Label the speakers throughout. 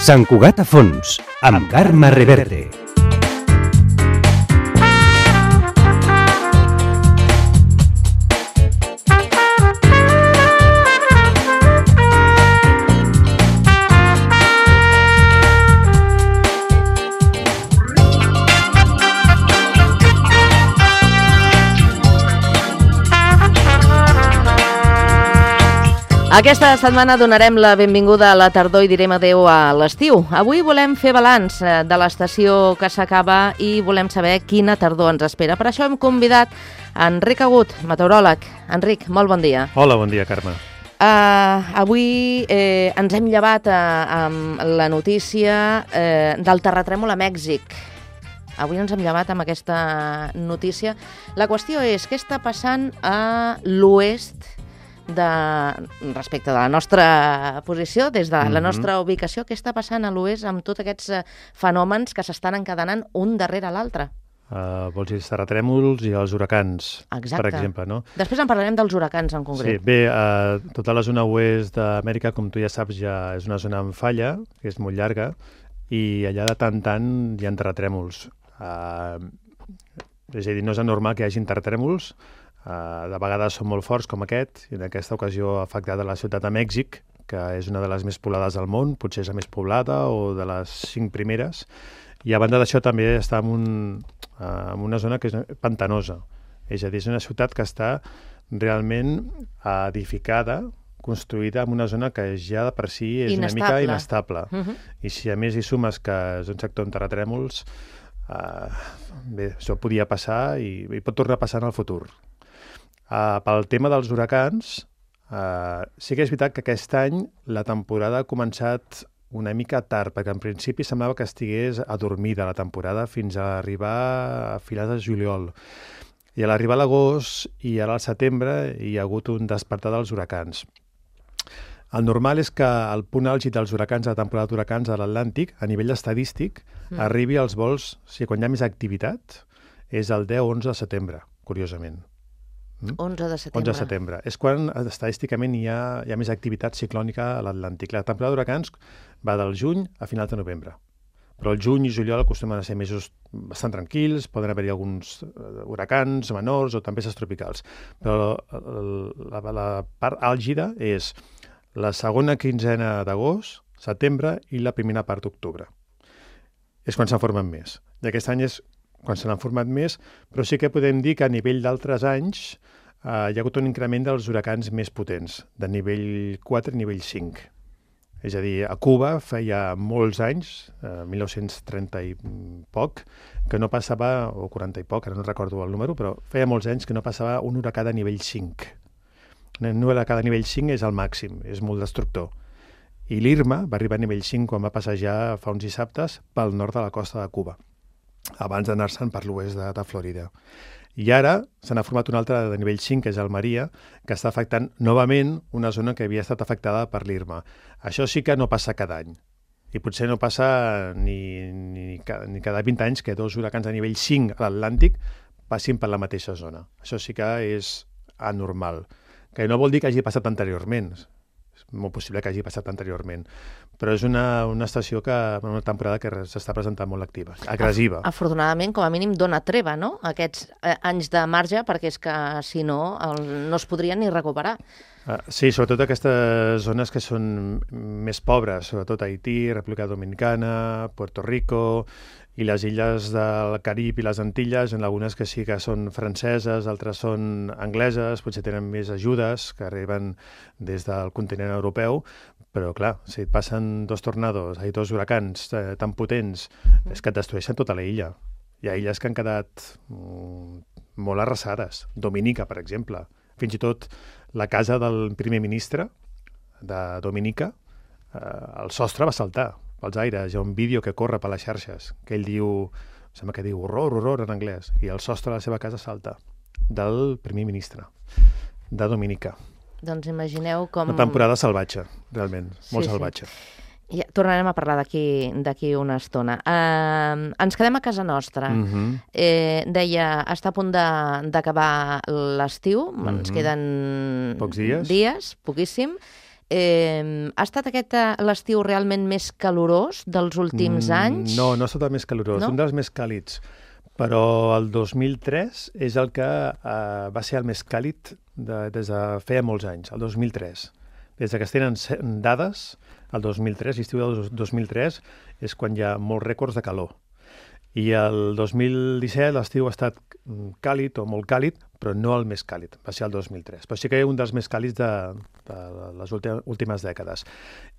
Speaker 1: Sant Cugat a fons, amb Carme Reverte.
Speaker 2: Aquesta setmana donarem la benvinguda a la tardor i direm adeu a l'estiu. Avui volem fer balanç de l'estació que s'acaba i volem saber quina tardor ens espera. Per això hem convidat Enric Agut, meteoròleg. Enric, molt bon dia.
Speaker 3: Hola, bon dia, Carme.
Speaker 2: Avui ens hem llevat amb la notícia del terratrèmol a Mèxic. Avui ens hem llevat amb aquesta notícia. La qüestió és què està passant a l'oest respecte de la nostra posició, des de la nostra ubicació, què està passant a l'oest amb tots aquests fenòmens que s'estan encadenant un darrere l'altre?
Speaker 3: Vols dir els terratrèmols i els huracans, per exemple, no?
Speaker 2: Després en parlarem dels huracans en concret.
Speaker 3: Sí, bé, tota la zona oest d'Amèrica, com tu ja saps, ja és una zona amb falla, que és molt llarga, i allà de tant en tant hi ha terratrèmols. És a dir, no és anormal que hi hagi terratrèmols. De vegades són molt forts com aquest, i en aquesta ocasió ha afectat a la ciutat de Mèxic, que és una de les més poblades del món, potser és la més poblada o de les 5 primeres, i a banda d'això també està en una zona que és pantanosa, és a dir, és una ciutat que està realment edificada, construïda en una zona que ja de per si és una mica inestable. I si a més hi sumes que és un sector amb terratrèmols, bé, això podia passar i pot tornar a passar en el futur. Pel tema dels huracans, sí que és veritat que aquest any la temporada ha començat una mica tard, perquè en principi semblava que estigués adormida la temporada fins a arribar a finals de juliol. I a l'arribar a l'agost i ara al setembre hi ha hagut un despertar dels huracans. El normal és que el punt àlgid dels huracans, la temporada d'huracans a l'Atlàntic, a nivell estadístic, arribi als vols, o sigui, quan hi ha més activitat, és el 10-11 de setembre, curiosament.
Speaker 2: 11 de setembre.
Speaker 3: 11 de setembre. És quan estadísticament hi ha més activitat ciclònica a l'Atlàntic. La temporada d'huracans va del juny a finals de novembre. Però el juny i juliol acostumen a ser mesos bastant tranquils, poden haver-hi alguns huracans menors o tempestes tropicals. Però la part àlgida és la segona quinzena d'agost, setembre i la primera part d'octubre. És quan se'n formen més. I aquest any és quan se n'han format més, però sí que podem dir que a nivell d'altres anys hi ha hagut un increment dels huracans més potents, de nivell 4 a nivell 5. És a dir, a Cuba feia molts anys, 1930 i poc, que no passava, o 40 i poc, ara no recordo el número, però feia molts anys que no passava un huracà de nivell 5. Un huracà de nivell 5 és el màxim, és molt destructor. I l'Irma va arribar a nivell 5 quan va passejar fa uns dissabtes pel nord de la costa de Cuba, abans d'anar-se'n per l'oest de Florida. I ara se n'ha format una altra de nivell 5, que és el Maria, que està afectant novament una zona que havia estat afectada per l'Irma. Això sí que no passa cada any. I potser no passa ni cada 20 anys que 2 huracans de nivell 5 a l'Atlàntic passin per la mateixa zona. Això sí que és anormal. Que no vol dir que hagi passat anteriorment. És molt possible que hagi passat anteriorment, però és una estació una temporada que s'està presentant molt activa, agressiva.
Speaker 2: Afortunadament, com a mínim, dona treva, no?, aquests anys de marge, perquè és que, si no, no es podrien ni recuperar.
Speaker 3: Sí, sobretot aquestes zones que són més pobres, sobretot Haití, República Dominicana, Puerto Rico i les illes del Carib i les Antilles, en algunes que sí que són franceses, altres són angleses, potser tenen més ajudes que arriben des del continent europeu, però clar, si et passen 2 tornados, 2 huracans tan potents, és que et destrueixen tota la illa. Hi ha illes que han quedat molt arrasades. Dominica, per exemple. Fins i tot la casa del primer ministre de Dominica, el sostre va saltar pels aires. Hi ha un vídeo que corre per les xarxes, que ell diu, sembla que diu horror en anglès, i el sostre de la seva casa salta, del primer ministre de Dominica.
Speaker 2: Doncs imagineu com...
Speaker 3: Una temporada salvatge, realment, molt salvatge.
Speaker 2: Ja, tornarem a parlar d'aquí una estona. Ens quedem a casa nostra. Deia, està a punt d'acabar l'estiu, ens queden
Speaker 3: pocs dies,
Speaker 2: poquíssim, Ha estat aquest l'estiu realment més calorós dels últims anys?
Speaker 3: No, no ha estat el més calorós,
Speaker 2: No?
Speaker 3: un dels més càlids. Però el 2003 és el que va ser el més càlid des de feia molts anys, el 2003. Des que es tenen dades, el 2003, l'estiu del 2003, és quan hi ha molts rècords de calor. I el 2017 l'estiu ha estat càlid o molt càlid, però no el més càlid, va ser el 2003. Però sí que és un dels més càlids de les últimes dècades.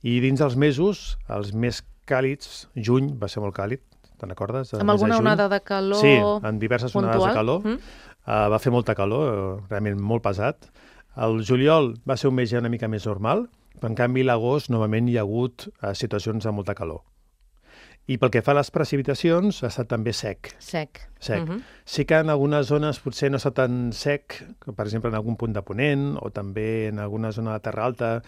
Speaker 3: I dins dels mesos, els més càlids, juny va ser molt càlid, te'n recordes?
Speaker 2: Amb alguna onada de calor
Speaker 3: Sí, en diverses onades de calor.
Speaker 2: puntual?
Speaker 3: Va fer molta calor, realment molt pesat. El juliol va ser un mes ja una mica més normal, però en canvi l'agost novament hi ha hagut situacions de molta calor. I pel que fa a les precipitacions, ha estat també sec.
Speaker 2: Sec.
Speaker 3: Sí que en algunes zones potser no està tan sec, per exemple en algun punt de Ponent, o també en alguna zona de Terra Alta,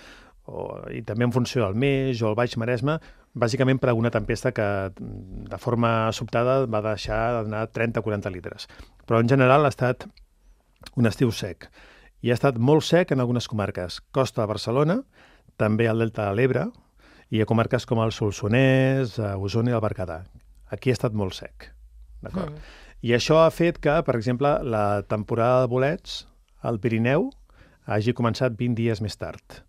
Speaker 3: i també en funció del Meix o el Baix Maresme, bàsicament per alguna tempesta que de forma sobtada va deixar d'anar 30 o 40 litres. Però en general ha estat un estiu sec. I ha estat molt sec en algunes comarques. Costa de Barcelona, també al Delta de l'Ebre, i a comarques com el Solsonès, Osona i el Berguedà. Aquí ha estat molt sec. D'acord? I això ha fet que, per exemple, la temporada de bolets al Pirineu hagi començat 20 dies més tard.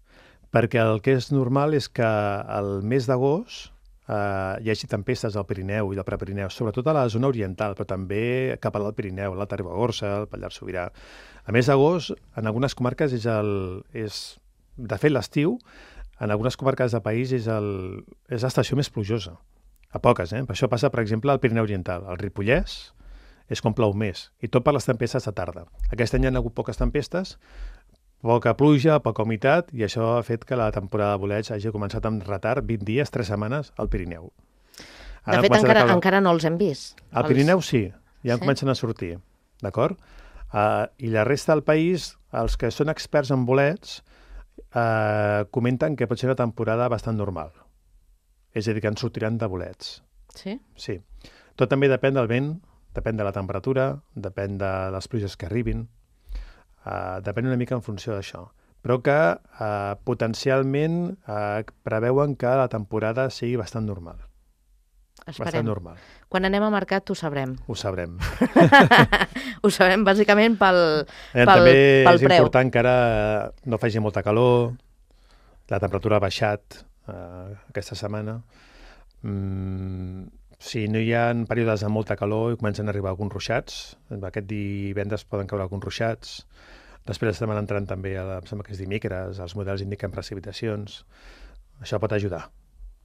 Speaker 3: Perquè el que és normal és que al mes d'agost hi hagi tempestes al Pirineu i al Prepirineu, sobretot a la zona oriental, però també cap a l'Alt Pirineu, l'Alta Ribagorça, el Pallars Sobirà. A mes d'agost, en algunes comarques de fet, l'estiu, en algunes comarques del país és l'estació més plujosa. A poques, Per això passa, per exemple, al Pirineu Oriental. El Ripollès és com plou més, i tot per les tempestes de tarda. Aquest any hi ha hagut poques tempestes, poca pluja, poca humitat, i això ha fet que la temporada de bolets hagi començat amb retard 20 dies, 3 setmanes al Pirineu.
Speaker 2: De fet, encara no els hem vist.
Speaker 3: Al Pirineu sí, ja comencen a sortir, d'acord? I la resta del país, els que són experts en bolets, comenten que pot ser una temporada bastant normal. És a dir, que en sortiran de bolets.
Speaker 2: Sí?
Speaker 3: Sí. Tot també depèn del vent, depèn de la temperatura, depèn de les pluges que arribin, depèn una mica en funció d'això. Però que potencialment preveuen que la temporada sigui bastant normal.
Speaker 2: Esperem.
Speaker 3: Bastant normal.
Speaker 2: Quan anem a mercat ho sabrem.
Speaker 3: Ho sabrem.
Speaker 2: Ho sabem bàsicament pel
Speaker 3: També és
Speaker 2: preu.
Speaker 3: important que ara no faci molta calor, la temperatura ha baixat aquesta setmana. Si no hi ha períodes de molta calor i comencen a arribar alguns ruixats, aquest divendres poden caure alguns ruixats, després estem entrant també, em sembla que és dimecres, els models indiquen precipitacions, això pot ajudar.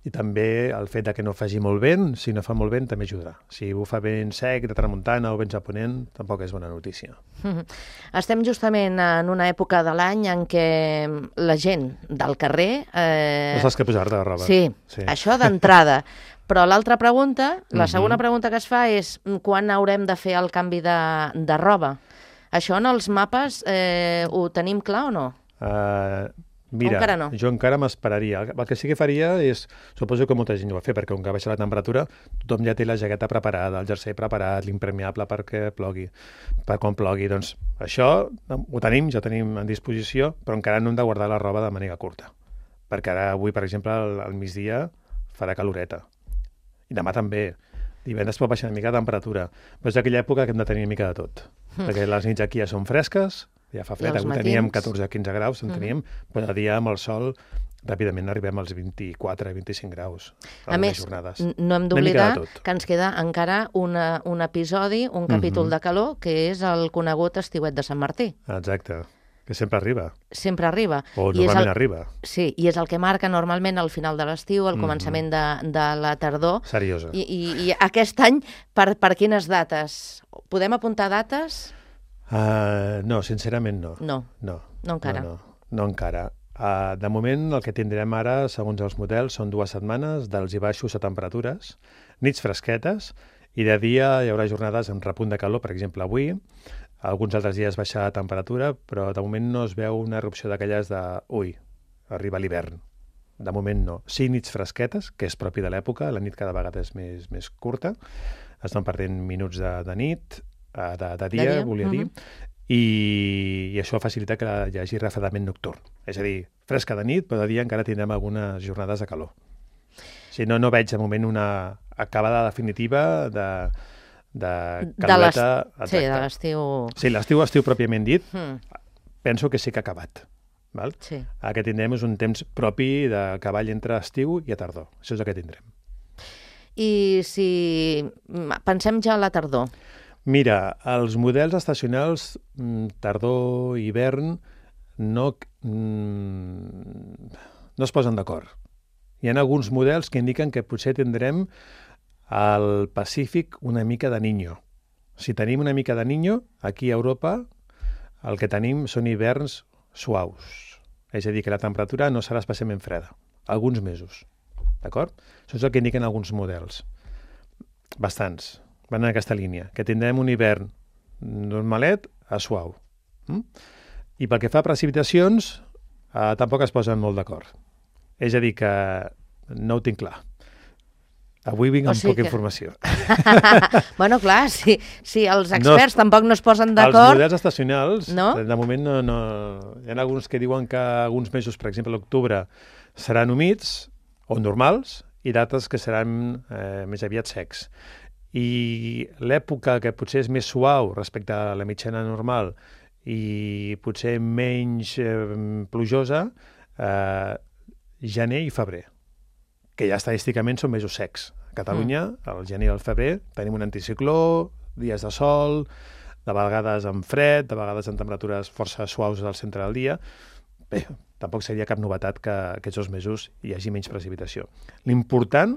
Speaker 3: I també el fet de que no faci molt vent, si no fa molt vent, també ajudarà. Si bufa vent sec, de tramuntana o vents a ponent, tampoc és bona notícia.
Speaker 2: Estem justament en una època de l'any en què la gent del carrer...
Speaker 3: No saps què posar-te de roba.
Speaker 2: Sí, això d'entrada. Però l'altra pregunta, la segona pregunta que es fa és quan haurem de fer el canvi de roba? Això en els mapes ho tenim clar o no?
Speaker 3: Mira,
Speaker 2: encara no.
Speaker 3: Jo encara m'esperaria. El que sí que faria és, suposo que molta gent ho va fer, perquè com que baixa la temperatura, tothom ja té la jaqueta preparada, el jersei preparat, l'impermeable perquè plogui, per quan plogui. Doncs això ho tenim, ja ho tenim en disposició, però encara no hem de guardar la roba de màniga curta. Perquè ara, avui, per exemple, al migdia farà caloreta. I demà també. Divendres pot baixar una mica de temperatura. Però és aquella època que hem de tenir una mica de tot. Perquè les nits aquí ja són fresques, ja fa fred, avui teníem 14 o 15 graus, però de dia amb el sol ràpidament arribem als 24 i 25 graus
Speaker 2: a més,
Speaker 3: jornades.
Speaker 2: No hem d'oblidar que ens queda encara un episodi, un capítol de calor, que és el conegut estiuet de Sant Martí.
Speaker 3: Exacte, que sempre arriba.
Speaker 2: Sempre arriba.
Speaker 3: O normalment arriba.
Speaker 2: Sí, i és el que marca normalment el final de l'estiu, el començament de la tardor.
Speaker 3: Seriosa.
Speaker 2: I aquest any, per quines dates? Podem apuntar dates?
Speaker 3: No, sincerament no.
Speaker 2: No encara.
Speaker 3: No encara. De moment, el que tindrem ara, segons els models, són 2 setmanes d'alts i baixos a temperatures, nits fresquetes, i de dia hi haurà jornades amb repunt de calor, per exemple, avui. Alguns altres dies baixarà la temperatura, però de moment no es veu una erupció d'aquelles de arriba l'hivern. De moment no. Sí, nits fresquetes, que és propi de l'època, la nit cada vegada és més curta, estan perdent minuts de nit, de dia, volia dir, i això facilita que hi hagi refredament nocturn. És a dir, fresca de nit, però de dia encara tindrem algunes jornades de calor. Si no, no veig de moment una acabada definitiva de caloreta.
Speaker 2: Sí, de l'estiu.
Speaker 3: Sí, l'estiu pròpiament dit, penso que sí que ha acabat. Val?
Speaker 2: Sí.
Speaker 3: El que tindrem és un temps propi de cavall entre estiu i a tardor. Això és el que tindrem.
Speaker 2: I si pensem ja a la tardor?
Speaker 3: Mira, els models estacionals tardor i hivern no es posen d'acord. Hi ha alguns models que indiquen que potser tindrem al Pacífic una mica de Niño. Si tenim una mica de Niño, aquí a Europa el que tenim són hiverns suaus. És a dir, que la temperatura no serà especialment freda. Alguns mesos. D'acord? Això és el que indiquen alguns models. Bastants. Van en aquesta línia. Que tindrem un hivern normalet a suau. I pel que fa a precipitacions, tampoc es posen molt d'acord. És a dir, que no ho tinc clar. Avui vinc amb poca informació.
Speaker 2: Bueno, clar, si els experts tampoc no es posen d'acord...
Speaker 3: Els models estacionals,
Speaker 2: no?
Speaker 3: De moment no... Hi ha alguns que diuen que alguns mesos, per exemple, l'octubre, seran humits o normals i d'altres que seran més aviat secs. I l'època que potser és més suau respecte a la mitjana normal i potser menys plujosa, gener i febrer, que ja estadísticament són mesos secs. A Catalunya, al gener i al febrer, tenim un anticicló, dies de sol, de vegades amb fred, de vegades amb temperatures força suaus al centre del dia. Bé, tampoc seria cap novetat que aquests 2 mesos hi hagi menys precipitació. L'important,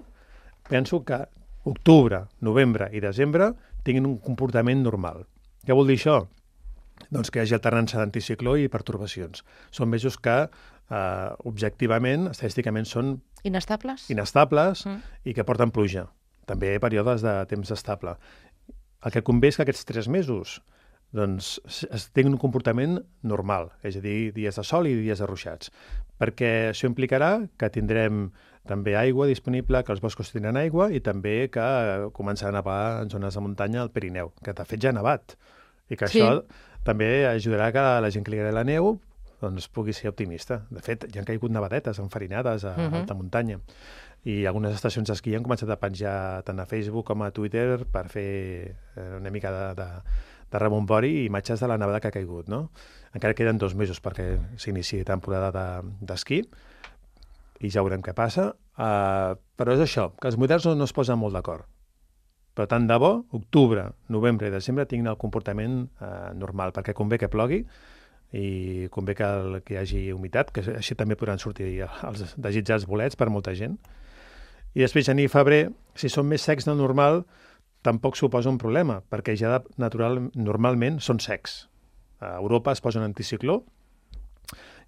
Speaker 3: penso que octubre, novembre i desembre tinguin un comportament normal. Què vol dir això? Doncs que hi hagi alternança d'anticicló i pertorbacions. Són mesos que objectivament, estadísticament, són
Speaker 2: inestables
Speaker 3: i que porten pluja. També períodes de temps estable. El que convé és que aquests 3 mesos doncs, tinguin un comportament normal, és a dir, dies de sol i dies de ruixats, perquè això implicarà que tindrem també aigua disponible, que els boscos tindran aigua i també que començarà a nevar en zones de muntanya al Pirineu, que de fet ja ha nevat, i que això també ajudarà que la gent que li agrada la neu doncs pugui ser optimista. De fet, ja han caigut nevadetes enfarinades a alta muntanya i algunes estacions d'esquí han començat a penjar tant a Facebook com a Twitter per fer una mica de rebombori i imatges de la nevada que ha caigut, no? Encara queden 2 mesos perquè s'iniciï temporada d'esquí i ja veurem què passa. Però és això, que els models no es posen molt d'acord. Però tant de bo, octubre, novembre i desembre tinguin el comportament normal, perquè convé que plogui i convé que hi hagi humitat, que així també podran sortir els desitjats bolets per molta gent. I després, gener i febrer, si són més secs del normal, tampoc suposa un problema, perquè ja normalment són secs. A Europa es posa un anticicló,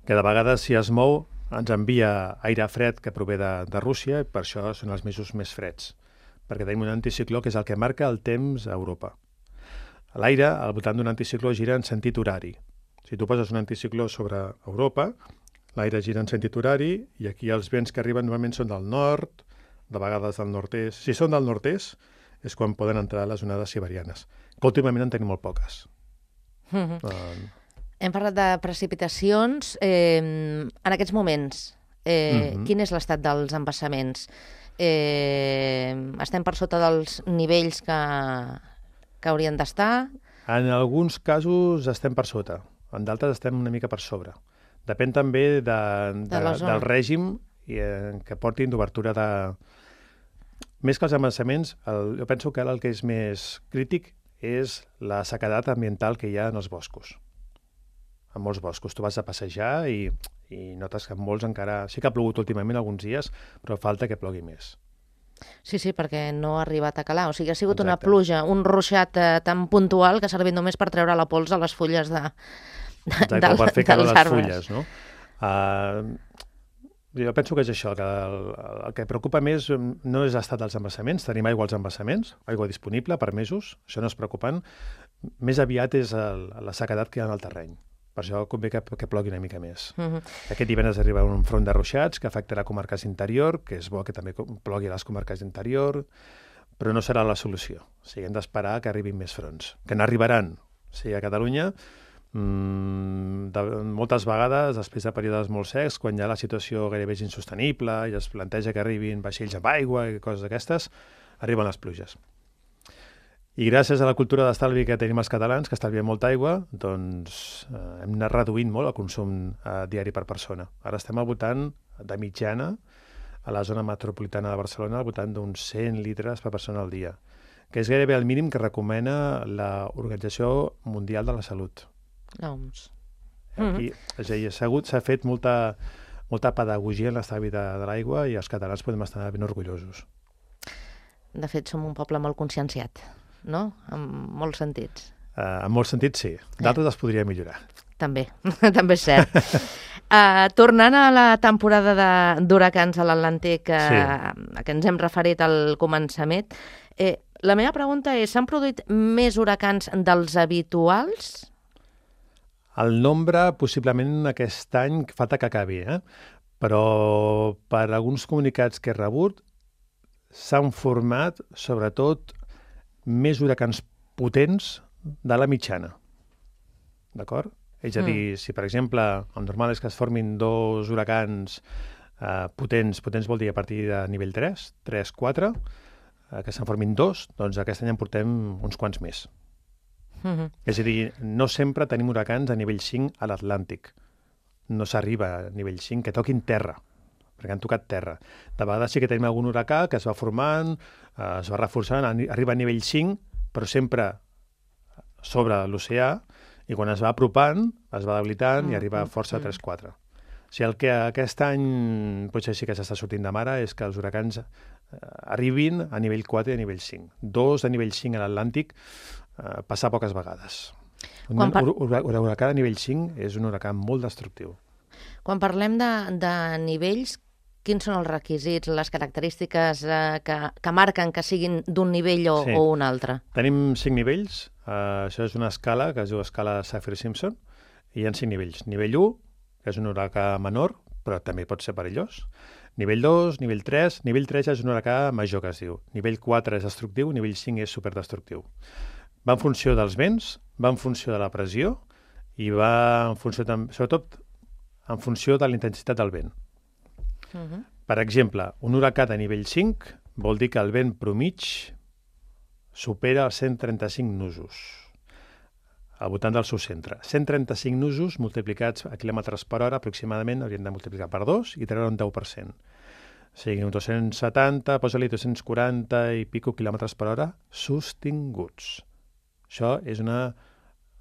Speaker 3: que de vegades, si es mou, ens envia aire fred que prové de Rússia, i per això són els mesos més freds, perquè tenim un anticicló que és el que marca el temps a Europa. L'aire, al voltant d'un anticicló, gira en sentit horari. Si tu poses un anticicló sobre Europa, l'aire gira en sentit horari i aquí els vents que arriben normalment són del nord, de vegades del nord-est. Si són del nord-est és quan poden entrar les onades siberianes, que últimament en tenim molt poques.
Speaker 2: Hem parlat de precipitacions. En aquests moments, quin és l'estat dels embassaments? Estem per sota dels nivells que haurien d'estar?
Speaker 3: En alguns casos estem per sota. En d'altres estem una mica per sobre. Depèn també del règim que portin d'obertura de... Més que els embassaments, jo penso que el que és més crític és la sequedat ambiental que hi ha en els boscos. En molts boscos. Tu vas a passejar i notes que en molts encara... Sí que ha plogut últimament alguns dies, però falta que plogui més.
Speaker 2: Sí, perquè no ha arribat a calar. O sigui, ha sigut una pluja, un ruixat tan puntual que ha servit només per treure la pols a les fulles dels arbres.
Speaker 3: Per fer calor a les fulles, no? Jo penso que és això, que el que preocupa més no és l'estat dels embassaments, tenim aigua als embassaments, aigua disponible per mesos, això no és preocupant, més aviat és la sequedat que hi ha en el terreny. Per això convé que plogui una mica més. Aquest divendres arriba un front de ruixats que afectarà comarques d'interior, que és bo que també plogui a les comarques d'interior, però no serà la solució. O sigui, hem d'esperar que arribin més fronts, que n'arribaran. O sigui, a Catalunya Moltes vegades, després de períodes molt secs, quan ja la situació gairebé és insostenible i es planteja que arribin vaixells amb aigua i coses d'aquestes, arriben les pluges. I gràcies a la cultura d'estalvi que tenim els catalans, que estalviem molta aigua, doncs hem anat reduint molt el consum diari per persona. Ara estem al voltant de mitjana, a la zona metropolitana de Barcelona, al voltant d'uns 100 litres per persona al dia, que és gairebé el mínim que recomana l'Organització Mundial de la Salut.
Speaker 2: L'OMS.
Speaker 3: Aquí, és a dir, s'ha fet molta pedagogia en l'estalvi de l'aigua i els catalans podem estar ben orgullosos.
Speaker 2: De fet, som un poble molt conscienciat, no? En molts sentits.
Speaker 3: En molts sentits, sí. D'altres es podria millorar.
Speaker 2: També, també és cert. Tornant a la temporada d'huracans a l'Atlàntic, a què ens hem referit al començament, la meva pregunta és, s'han produït més huracans dels habituals?
Speaker 3: El nombre, possiblement, aquest any falta que acabi, però per alguns comunicats que he rebut s'han format, sobretot, més huracans potents de la mitjana. D'acord? És a dir, si, per exemple, el normal és que es formin 2 huracans potents vol dir a partir de nivell 3, 4, que se'n formin 2, doncs aquest any en portem uns quants més. És a dir, no sempre tenim huracans a nivell 5 a l'Atlàntic. No s'arriba a nivell 5, que toquin terra, perquè han tocat terra. De vegades sí que tenim algun huracà que es va formant, es va reforçant, arriba a nivell 5, però sempre sobre l'oceà, i quan es va apropant, es va debilitant i arriba a força 3-4. O sigui, el que aquest any potser sí que s'està sortint de mare és que els huracans arribin a nivell 4 i a nivell 5. 2 de nivell 5 a l'Atlàntic passa poques vegades. Un huracà de nivell 5 és un huracà molt destructiu.
Speaker 2: Quan parlem de nivells, quins són els requisits, les característiques que marquen que siguin d'un nivell o un altre?
Speaker 3: Tenim 5 nivells. Això és una escala que es diu escala Saffir-Simpson, i hi ha 5 nivells. Nivell 1, que és un huracà menor, però també pot ser perillós. Nivell 2, nivell 3. Nivell 3 és un huracà major, que es diu. Nivell 4 és destructiu, nivell 5 és superdestructiu. Va en funció dels vents, va en funció de la pressió i va en funció, sobretot, en funció de la intensitat del vent. Per exemple, un huracà de nivell 5 vol dir que el vent promig supera els 135 nusos al voltant del seu centre. 135 nusos multiplicats a quilòmetres per hora aproximadament haurien de multiplicar per 2 i treure un 10%. O sigui, uns 270, posa-li 240 i pico quilòmetres per hora sostinguts. Això és una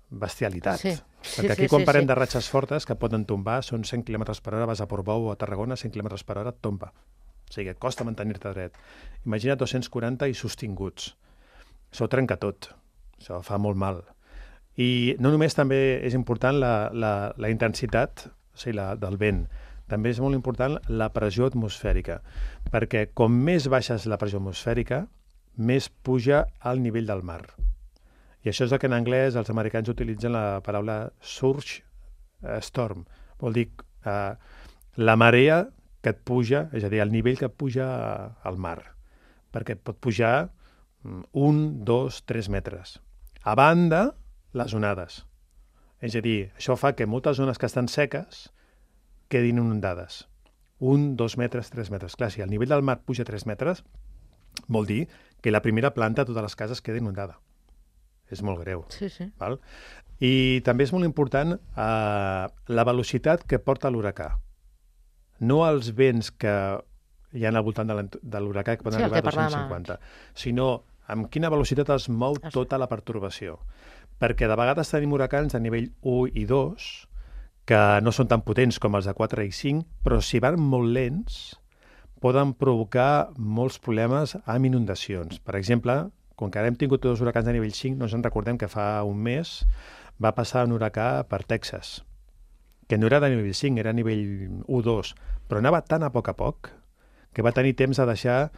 Speaker 3: bestialitat. Perquè aquí quan parlem de ratxes fortes que poden tombar són 100 km per hora, vas a Portbou o a Tarragona, 100 km per hora tomba. O sigui, et costa mantenir-te dret. Imagina't 240 i sostinguts. Això ho trenca tot. Això fa molt mal. I no només també és important la intensitat, o sigui, del vent, també és molt important la pressió atmosfèrica, perquè com més baixa és la pressió atmosfèrica, més puja el nivell del mar. I això és el que en anglès els americans utilitzen la paraula surge storm. Vol dir la marea que et puja, és a dir, el nivell que et puja al mar, perquè et pot pujar 1, 2, 3 metres. A banda, les onades. És a dir, això fa que moltes zones que estan seques quedin inundades. 1, 2 metres, 3 metres. Clar, si el nivell del mar puja 3 metres, vol dir que la primera planta de totes les cases queda inundada. És molt greu.
Speaker 2: Sí.
Speaker 3: Val? I també és molt important la velocitat que porta l'huracà. No els vents que hi ha al voltant de l'huracà, que poden arribar a 250, sinó amb quina velocitat es mou tota la pertorbació. Perquè de vegades tenim huracans de nivell 1 i 2, que no són tan potents com els de 4 i 5, però si van molt lents, poden provocar molts problemes amb inundacions. Per exemple, com que ara hem tingut 2 huracans de nivell 5, no ens en recordem que fa un mes va passar un huracà per Texas, que no era de nivell 5, era nivell 1-2, però anava tan a poc que va tenir temps de deixar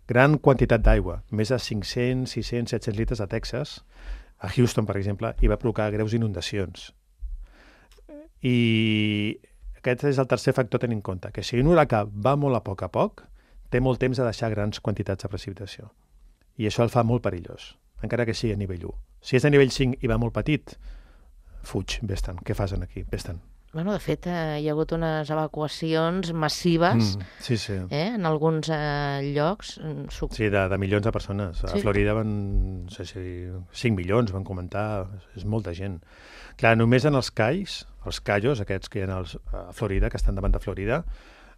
Speaker 3: gran quantitat d'aigua, més de 500, 600, 700 litres a Texas, a Houston, per exemple, i va provocar greus inundacions. I aquest és el tercer factor a tenir en compte, que si un huracà va molt a poc, té molt temps de deixar grans quantitats de precipitació. I això el fa molt perillós, encara que sigui a nivell 1. Si és a nivell 5 i va molt petit, fuig, vés-te'n, què fas aquí, vés-te'n.
Speaker 2: Bueno, de fet, hi ha hagut unes evacuacions massives
Speaker 3: Sí.
Speaker 2: en alguns llocs.
Speaker 3: Sí, de milions de persones. A Florida van, no sé si 5 milions, van comentar, és molta gent. Clar, només en els cayos, aquests que hi ha a Florida, que estan davant de Florida,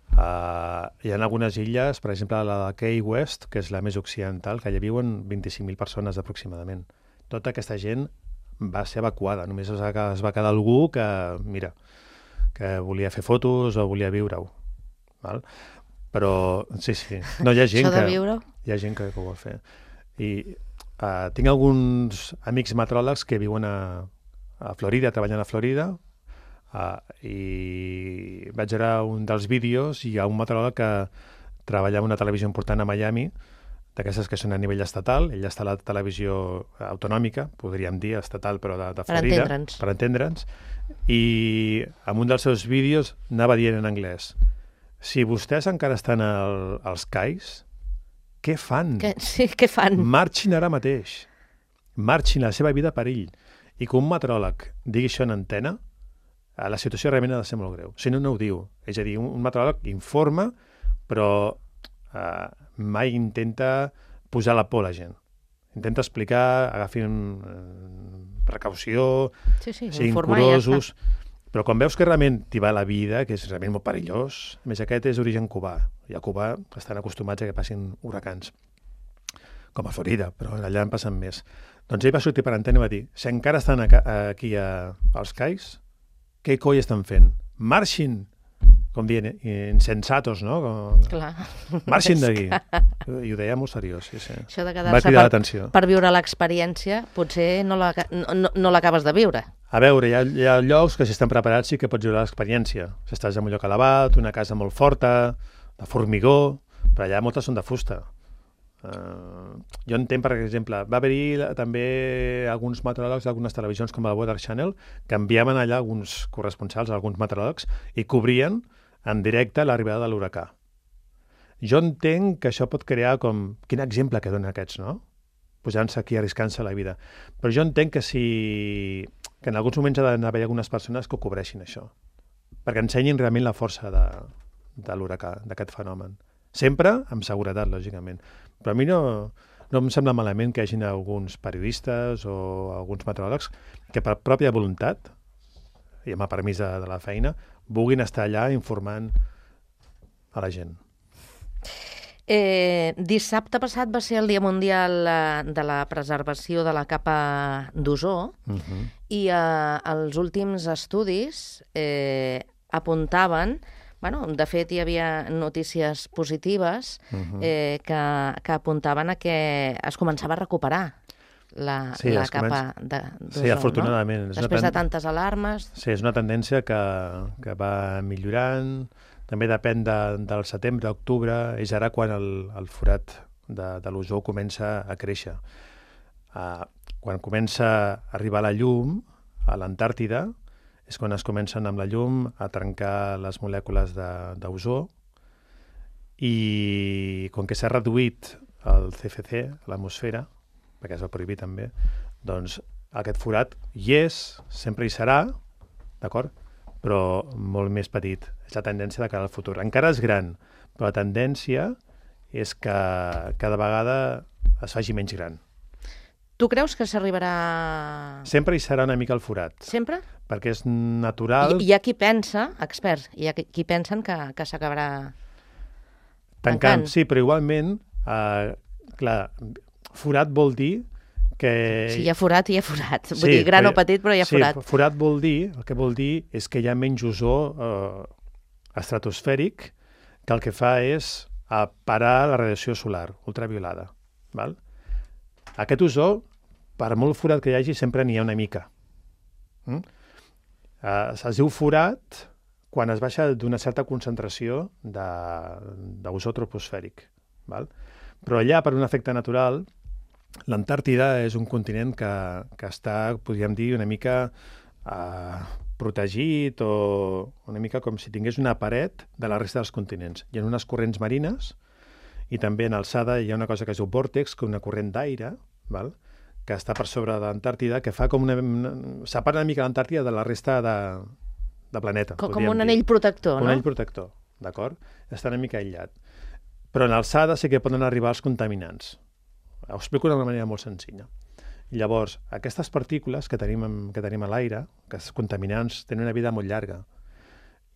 Speaker 3: hi ha algunes illes, per exemple, la de Key West, que és la més occidental, que allà viuen 25.000 persones aproximadament. Tota aquesta gent va ser evacuada. Només es va quedar algú que, mira, que volia fer fotos o volia viure-ho. Val? Però, sí. No, hi ha gent hi ha gent que ho vol fer. I tinc alguns amics meteoròlegs que viuen a Florida, treballen a Florida, i vaig veure un dels vídeos i hi ha un meteoròleg que treballa en una televisió important a Miami, d'aquestes que són a nivell estatal. Ell està a la televisió autonòmica, podríem dir estatal, però de Florida. Per entendre'ns. I en un dels seus vídeos anava dient en anglès: si vostès encara estan als cais, què fan?
Speaker 2: Què fan?
Speaker 3: Marxin ara mateix. Marxin, la seva vida a perill. I que un meteoròleg digui això en antena, la situació realment ha de ser molt greu. Si no, no ho diu. És a dir, un meteoròleg informa, però mai intenta posar la por a la gent. Intenta explicar, agafin precaució, siguin curosos, però quan veus que realment t'hi va la vida, que és realment molt perillós, a més aquest és d'origen cubà, i a Cuba estan acostumats a que passin huracans, com a Florida, però allà en passen més. Doncs ell va sortir per antena i va dir: si encara estan aquí als cais, què coi estan fent? Marxin! Com dient, insensatos, no?
Speaker 2: Clar.
Speaker 3: Marxin d'aquí. I ho deia molt seriós, sí.
Speaker 2: Això de quedar-se per viure l'experiència, potser no l'acabes de viure.
Speaker 3: A veure, hi ha llocs que si estan preparats sí que pots viure l'experiència. Si estàs en un lloc elevat, una casa molt forta, de formigó, però allà moltes són de fusta. Jo entenc, per exemple, va haver-hi també alguns meteoròlegs d'algunes televisions com el Weather Channel que enviaven allà alguns corresponsals, alguns meteoròlegs, i cobrien en directe l'arribada de l'huracà. Jo entenc que això pot crear com... Quin exemple que donen aquests, no? Posant-se aquí, arriscant-se la vida. Però jo entenc que en alguns moments ha d'haver algunes persones que ho cobreixin, això, perquè ensenyin realment la força de l'huracà, d'aquest fenomen. Sempre amb seguretat, lògicament. Però a mi no em sembla malament que hi hagin alguns periodistes o alguns meteoròlegs que per pròpia voluntat, i amb el permís de la feina, vulguin estar allà informant a la gent.
Speaker 2: Dissabte passat va ser el Dia Mundial de la Preservació de la Capa d'Ozó i els últims estudis apuntaven... de fet, hi havia notícies positives que apuntaven a que es començava a recuperar la capa d'ozó.
Speaker 3: Sí, afortunadament.
Speaker 2: No? Després de tantes alarmes...
Speaker 3: Sí, és una tendència que va millorant. També depèn del setembre, octubre, és ara quan el forat de l'ozó comença a créixer. Quan comença a arribar la llum a l'Antàrtida, és quan es comencen amb la llum a trencar les molècules d'ozó, i com que s'ha reduït el CFC a l'atmosfera, perquè es va prohibir també, doncs aquest forat hi és, sempre hi serà, d'acord? Però molt més petit. És la tendència de cara al futur. Encara és gran, però la tendència és que cada vegada es faci menys gran.
Speaker 2: Tu creus que s'arribarà...
Speaker 3: Sempre hi serà una mica el forat.
Speaker 2: Sempre?
Speaker 3: Perquè és natural...
Speaker 2: Hi ha qui pensa, experts, hi ha qui pensen que s'acabarà tancant.
Speaker 3: Sí, però igualment, clar, forat vol dir que...
Speaker 2: Si hi ha forat, hi ha forat. Vull dir, gran o petit, però hi ha forat.
Speaker 3: Sí, forat vol dir, el que vol dir és que hi ha menys ozó estratosfèric, que el que fa és parar la radiació solar ultraviolada. Val? Aquest ozó, per molt forat que hi hagi, sempre n'hi ha una mica. Es diu forat quan es baixa d'una certa concentració d'ozó troposfèric. Val? Però allà, per un efecte natural, l'Antàrtida és un continent que està, podríem dir, una mica protegit, o una mica com si tingués una paret de la resta dels continents. Hi ha unes corrents marines, i també en alçada hi ha una cosa que es diu vòrtex, que és una corrent d'aire, que està per sobre de l'Antàrtida, que fa com separa una mica l'Antàrtida de la resta de planeta.
Speaker 2: Com un anell protector,
Speaker 3: Un
Speaker 2: no?
Speaker 3: anell protector, d'acord? Està una mica aïllat. Però en alçada sí que poden arribar els contaminants. Ho explico d'una manera molt senzilla. Llavors, aquestes partícules que tenim a l'aire, que els contaminants, tenen una vida molt llarga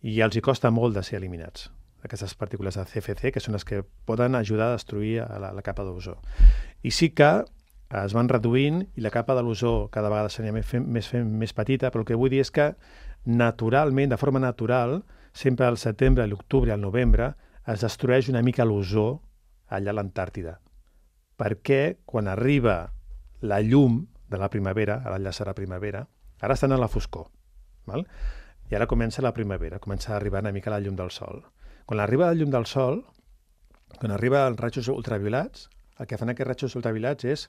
Speaker 3: i els hi costa molt de ser eliminats. Aquestes partícules de CFC, que són les que poden ajudar a destruir la capa d'ozó. I sí que es van reduint i la capa de l'ozó cada vegada seria més petita, però el que vull dir és que naturalment, de forma natural, sempre al setembre, a l'octubre i al novembre, es destrueix una mica l'ozó allà a l'Antàrtida. Perquè quan arriba la llum de la primavera, ara ja serà primavera, ara estan a la foscor, val? I ara comença la primavera, comença a arribar una mica la llum del sol. Quan arriba la llum del sol, quan arriba els rajos ultraviolats, el que fan aquests rajos ultraviolats és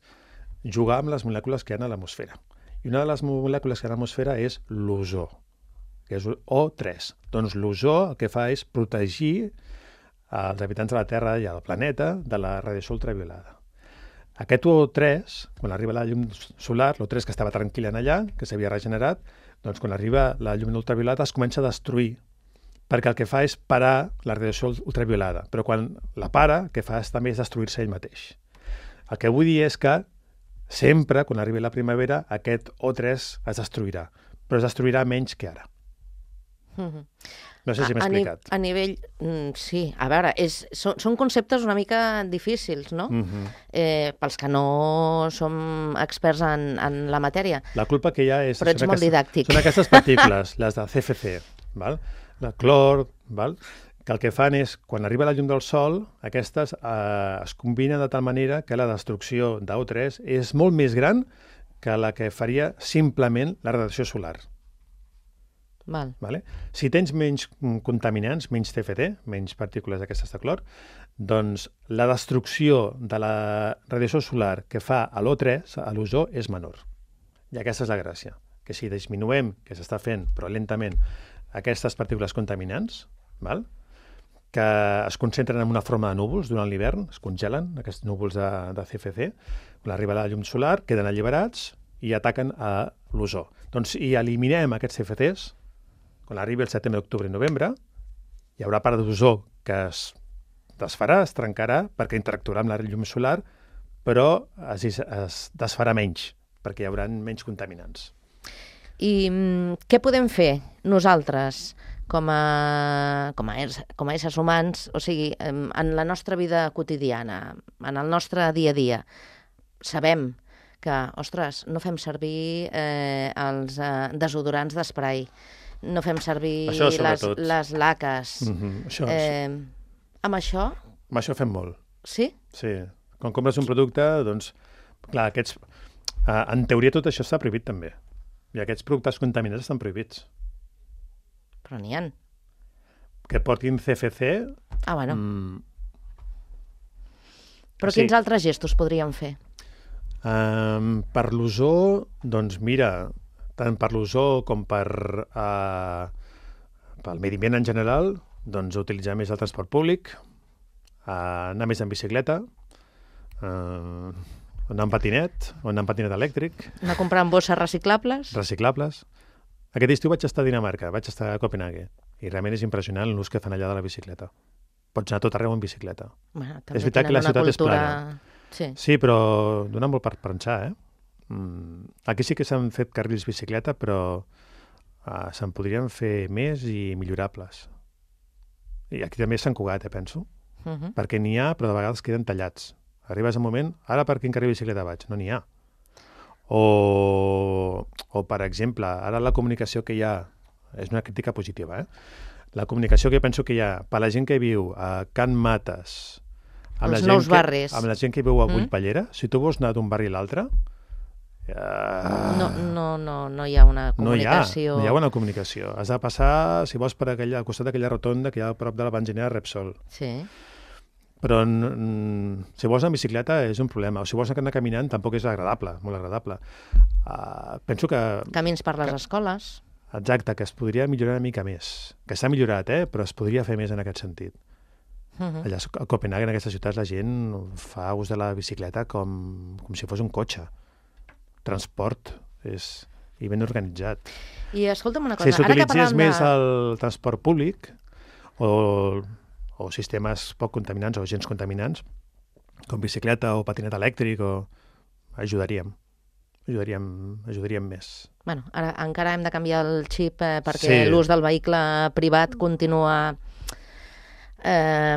Speaker 3: jugar amb les molècules que hi ha a l'atmosfera. I una de les molècules que hi ha a l'atmosfera és l'ozó, que és O3. Doncs l'ozó el que fa és protegir els habitants de la Terra i el planeta de la radiació ultraviolada. Aquest O3, quan arriba la llum solar, l'O3 que estava tranquil en allà, que s'havia regenerat, doncs quan arriba la llum ultraviolada es comença a destruir, perquè el que fa és parar la radiació ultraviolada. Però quan la para, el que fa també és destruir-se ell mateix. El que vull dir és que sempre, quan arribi la primavera, aquest O3 es destruirà, però es destruirà menys que ara. No sé si m'he explicat.
Speaker 2: A nivell... sí, a veure, són conceptes una mica difícils, no? Pels que no som experts en la matèria.
Speaker 3: La culpa que hi ha és...
Speaker 2: Però ets molt didàctic.
Speaker 3: Són aquestes partícules, les de CFC, val? La clor, val? Que el que fan és, quan arriba la llum del sol, aquestes es combinen de tal manera que la destrucció d'O3 és molt més gran que la que faria simplement la radiació solar.
Speaker 2: Val.
Speaker 3: Vale? Si tens menys contaminants, menys CFT, menys partícules d'aquestes de clor, doncs la destrucció de la radiació solar que fa a l'O3, a l'ozó, és menor. I aquesta és la gràcia, que si disminuem, que s'està fent, però lentament, aquestes partícules contaminants, val? Que es concentren en una forma de núvols durant l'hivern, es congelen, aquests núvols de CFC, quan arriba la llum solar, queden alliberats i ataquen a l'ozó. Doncs si eliminem aquests CFTs, quan arribi el setembre, octubre i novembre, hi haurà part d'ozó que es desfarà, es trencarà, perquè interactuarà amb la llum solar, però es desfarà menys, perquè hi haurà menys contaminants.
Speaker 2: I què podem fer nosaltres com a éssers humans, o sigui, en la nostra vida quotidiana, en el nostre dia a dia? Sabem que, ostres, no fem servir els desodorants d'esprai, no fem servir les laques. Amb això?
Speaker 3: Amb això fem molt.
Speaker 2: Sí?
Speaker 3: Sí. Quan compres un producte, doncs, clar, aquests... en teoria tot això està prohibit també. I aquests productes contaminats estan prohibits.
Speaker 2: Però n'hi ha.
Speaker 3: Que portin CFC...
Speaker 2: Ah, bueno. Però sí. Quins altres gestos podríem fer?
Speaker 3: Per l'ozó, doncs mira, tant per l'ozó com pel medi ambient en general, doncs utilitzar més el transport públic, anar més en bicicleta, anar en patinet, o anar en patinet elèctric.
Speaker 2: Anar comprant bosses reciclables.
Speaker 3: Reciclables. Aquest estiu vaig estar a Dinamarca, vaig estar a Copenhague, i realment és impressionant l'ús que fan allà de la bicicleta. Pots anar tot arreu en bicicleta.
Speaker 2: Bueno,
Speaker 3: és veritat que la ciutat és plana.
Speaker 2: Sí,
Speaker 3: però dona molt per pensar, Aquí sí que s'han fet carrils bicicleta, però se'n podrien fer més i millorables. I aquí també és Sant Cugat, penso, perquè n'hi ha, però de vegades queden tallats. Arribes a un moment, ara per quin carril bicicleta vaig? No n'hi ha. O, per exemple, ara la comunicació que hi ha, és una crítica positiva, La comunicació que penso que hi ha per la gent que viu a Can Mates, amb
Speaker 2: els nous barris,
Speaker 3: amb la gent que viu a Bullpallera, si tu vols anar d'un barri a l'altre...
Speaker 2: No hi ha una comunicació.
Speaker 3: No hi ha una comunicació. Has de passar, si vols, per al costat d'aquella rotonda que hi ha a prop de la benzinera Repsol.
Speaker 2: Sí.
Speaker 3: Però si vols anar en bicicleta és un problema. O si vols anar caminant tampoc és agradable, molt agradable. Penso que...
Speaker 2: Camins per les escoles.
Speaker 3: Exacte, que es podria millorar una mica més. Que s'ha millorat, però es podria fer més en aquest sentit. Allà a Copenhague, en aquestes ciutats, la gent fa ús de la bicicleta com si fos un cotxe. transport i ben organitzat.
Speaker 2: I escolta'm una cosa,
Speaker 3: Si
Speaker 2: ara que
Speaker 3: s'utilitzés
Speaker 2: parlem
Speaker 3: més el transport públic o sistemes poc contaminants o gens contaminants, com bicicleta o patinet elèctric, ajudaríem més.
Speaker 2: Bueno, ara encara hem de canviar el xip perquè l'ús del vehicle privat continua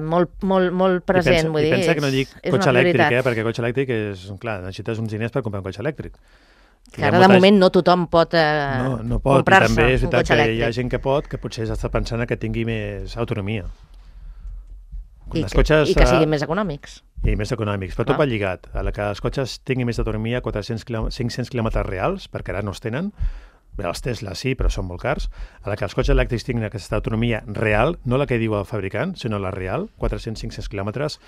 Speaker 2: molt present.
Speaker 3: I pensa que no dic cotxe elèctric, perquè cotxe elèctric és, clar, necessites uns diners per comprar un cotxe elèctric.
Speaker 2: Que ara de moment no tothom pot
Speaker 3: no pot,
Speaker 2: comprar-se
Speaker 3: també és
Speaker 2: un
Speaker 3: veritat
Speaker 2: cotxe
Speaker 3: que
Speaker 2: elèctric.
Speaker 3: hi ha gent que pot, que potser està pensant que tingui més autonomia.
Speaker 2: I que siguin més econòmics.
Speaker 3: I més econòmics, però tot va lligat. A la que els cotxes tinguin més d'autonomia, 500 quilòmetres reals, perquè ara no els tenen, bé, els Tesla sí, però són molt cars. A la que els cotxes elèctrics tinguin aquesta autonomia real, no la que diu el fabricant, sinó la real, 400-500 quilòmetres,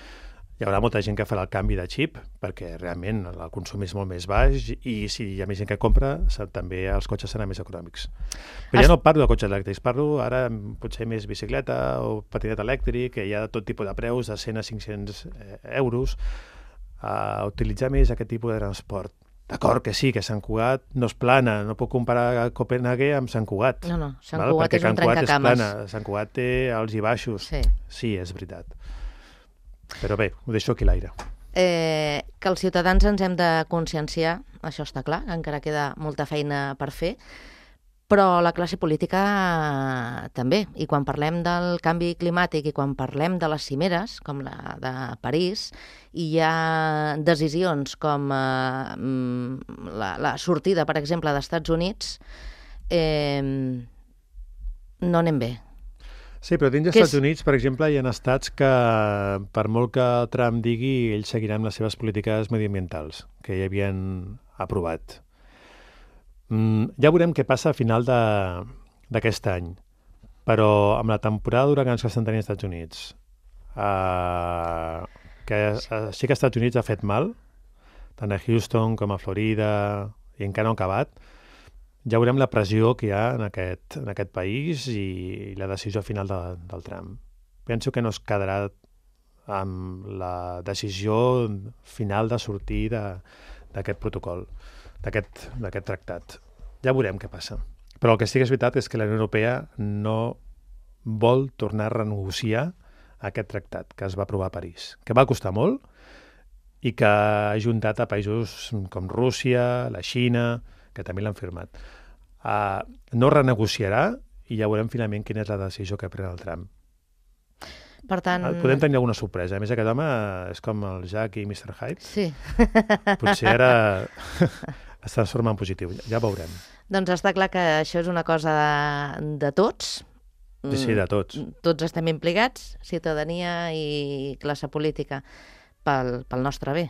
Speaker 3: hi haurà molta gent que farà el canvi de xip, perquè realment el consum és molt més baix i si hi ha més gent que compra, també els cotxes seran més econòmics. Però ja no parlo de cotxes elèctrics, parlo ara potser més bicicleta o patinet elèctric, que hi ha tot tipus de preus, de 100 a 500 euros, a utilitzar més aquest tipus de transport. D'acord que sí, que Sant Cugat no és plana, no puc comparar Copenhague amb Sant Cugat.
Speaker 2: No, Sant Cugat és un trencacames.
Speaker 3: Sant Cugat té alts i baixos. Sí, és veritat. Però bé, ho deixo aquí a l'aire.
Speaker 2: Que els ciutadans ens hem de conscienciar, això està clar, encara queda molta feina per fer, però la classe política també. I quan parlem del canvi climàtic i quan parlem de les cimeres, com la de París, i hi ha decisions com la sortida, per exemple, dels Estats Units, no anem bé.
Speaker 3: Sí, però dins dels Estats Units, per exemple, hi ha estats que, per molt que Trump digui, ells seguiran les seves polítiques mediambientals, que ja havien aprovat. Ja veurem què passa a final d'aquest any, però amb la temporada d'huracans que estan tenint als Estats Units, que sí que als Estats Units ha fet mal, tant a Houston com a Florida, i encara no ha acabat, ja veurem la pressió que hi ha en aquest país i la decisió final del Trump. Penso que no es quedarà amb la decisió final de sortir d'aquest protocol, d'aquest tractat. Ja veurem què passa. Però el que sí que és veritat és que la Unió Europea no vol tornar a renegociar aquest tractat que es va aprovar a París, que va costar molt i que ha ajuntat a països com Rússia, la Xina, que també l'han firmat. No renegociarà i ja veurem finalment quina és la decisió que pren el Trump.
Speaker 2: Per tant...
Speaker 3: Podem tenir alguna sorpresa. A més, aquest home és com el Jack i Mr. Hyde.
Speaker 2: Sí.
Speaker 3: Potser ara es transforma en positiu. Ja veurem.
Speaker 2: Doncs està clar que això és una cosa de tots.
Speaker 3: Sí, de tots.
Speaker 2: Tots estem implicats, ciutadania i classe política, pel nostre bé,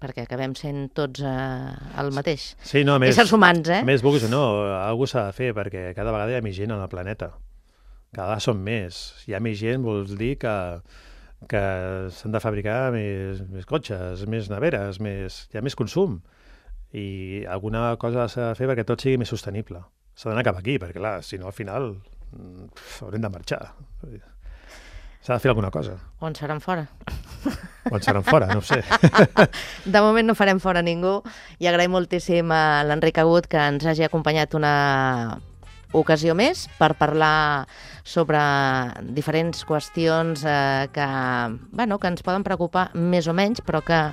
Speaker 2: perquè acabem sent tots el mateix.
Speaker 3: Sí, no, a més,
Speaker 2: éssers humans,
Speaker 3: a més, vulguis o no, alguna s'ha de fer, perquè cada vegada hi ha més gent al planeta. Cada vegada són més. Si hi ha més gent, vols dir que s'han de fabricar més cotxes, més neveres, hi ha més consum. I alguna cosa s'ha de fer perquè tot sigui més sostenible. S'ha d'anar cap aquí, perquè clar, si no, al final haurem de marxar. S'ha de fer alguna cosa.
Speaker 2: O ens faran fora.
Speaker 3: O ens faran fora, no ho sé.
Speaker 2: De moment no farem fora ningú i agraïm moltíssim a l'Enric Agut que ens hagi acompanyat una ocasió més per parlar sobre diferents qüestions que ens poden preocupar més o menys, però que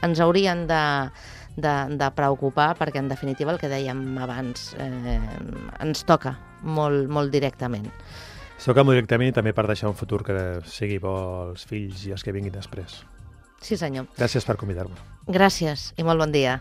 Speaker 2: ens haurien de preocupar perquè, en definitiva, el que dèiem abans ens toca molt, molt directament.
Speaker 3: Toca molt directament i també per deixar un futur que sigui bo als fills i els que vinguin després.
Speaker 2: Sí, senyor.
Speaker 3: Gràcies per convidar-me.
Speaker 2: Gràcies i molt bon dia.